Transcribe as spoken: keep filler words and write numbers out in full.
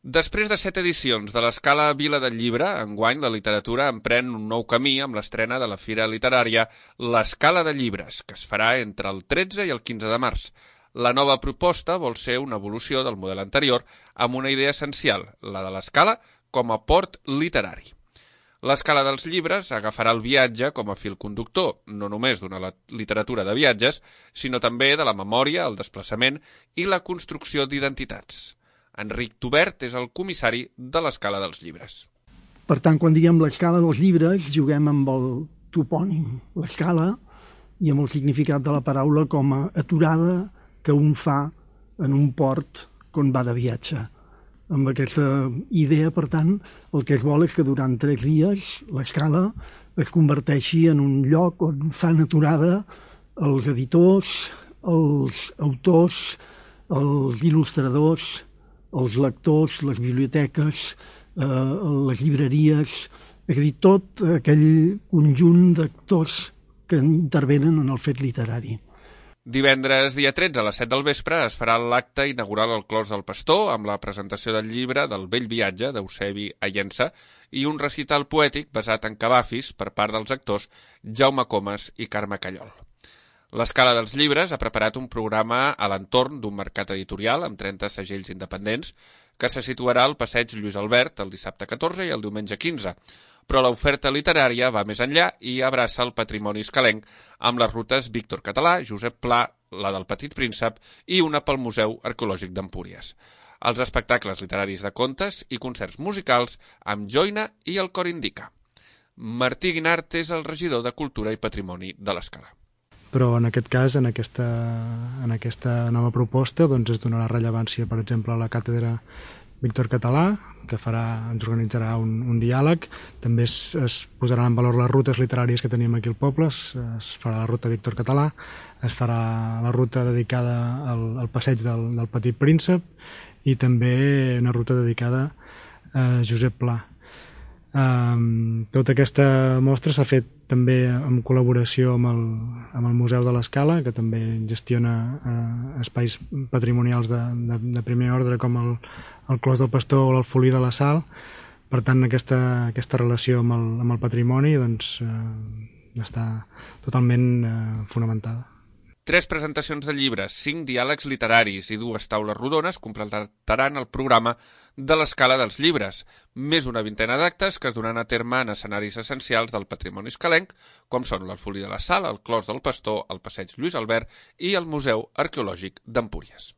Després de set edicions de l'escala Vila del Llibre, enguany la literatura emprèn un nou camí amb l'estrena de la fira literària l'Escala de Llibres, que es farà entre el tretze i el quinze de març. La nova proposta vol ser una evolució del model anterior amb una idea essencial, la de l'escala com a port literari. L'Escala dels Llibres agafarà el viatge com a fil conductor, no només d'una literatura de viatges, sinó també de la memòria, el desplaçament i la construcció d'identitats. Enric Tubert és el comissari de l'Escala dels Llibres. Per tant, quan diguem l'Escala dels Llibres, juguem amb el topònim, l'escala, i amb el significat de la paraula com a aturada que un fa en un port quan va de viatge. Amb aquesta idea, per tant, el que es vol és que durant tres dies l'escala es converteixi en un lloc on fan aturada els editors, els autors, els il·lustradors, els lectors, les biblioteques, eh, les llibreries, és a dir, tot aquell conjunt d'actors que intervenen en el fet literari. Divendres, dia tretze, a les set del vespre, es farà l'acte inaugural al Clos del Pastor amb la presentació del llibre del Vell Viatge d'Eusebi Ayensa i un recital poètic basat en Cavafis per part dels actors Jaume Comas i Carme Callol. L'Escala dels Llibres ha preparat un programa a l'entorn d'un mercat editorial amb trenta segells independents que se situarà al passeig Lluís Albert el dissabte catorze i el diumenge quinze, però l'oferta literària va més enllà i abraça el patrimoni escalenc amb les rutes Víctor Català, Josep Pla, la del Petit Príncep i una pel Museu Arqueològic d'Empúries. Els espectacles literaris de contes i concerts musicals amb joina i el cor indica. Martí Guinart és el regidor de Cultura i Patrimoni de l'Escala. Però en aquest cas, en aquesta, en aquesta nova proposta, doncs es donarà rellevància, per exemple, a la càtedra Víctor Català, que farà, ens organitzarà un, un diàleg. També es, es posaran en valor les rutes literàries que tenim aquí al poble. Es, es farà la ruta Víctor Català, es farà la ruta dedicada al, al passeig del, del Petit Príncep i també una ruta dedicada a Josep Pla. Um, tota aquesta mostra s'ha fet també en col·laboració amb el, amb el Museu de l'Escala, que també gestiona uh, espais patrimonials de, de, de primer ordre com el, el Clos del Pastor o l'Alfolí de la Sal. Per tant, aquesta, aquesta relació amb el, amb el patrimoni doncs, uh, està totalment uh, fonamentada. Tres presentacions de llibres, cinc diàlegs literaris i dues taules rodones completaran el programa de l'Escala dels Llibres, més una vintena d'actes que es duran a terme en escenaris essencials del patrimoni escalenc, com són l'Alfolí de la Sal, el Clos del Pastor, el passeig Lluís Albert i el Museu Arqueològic d'Empúries.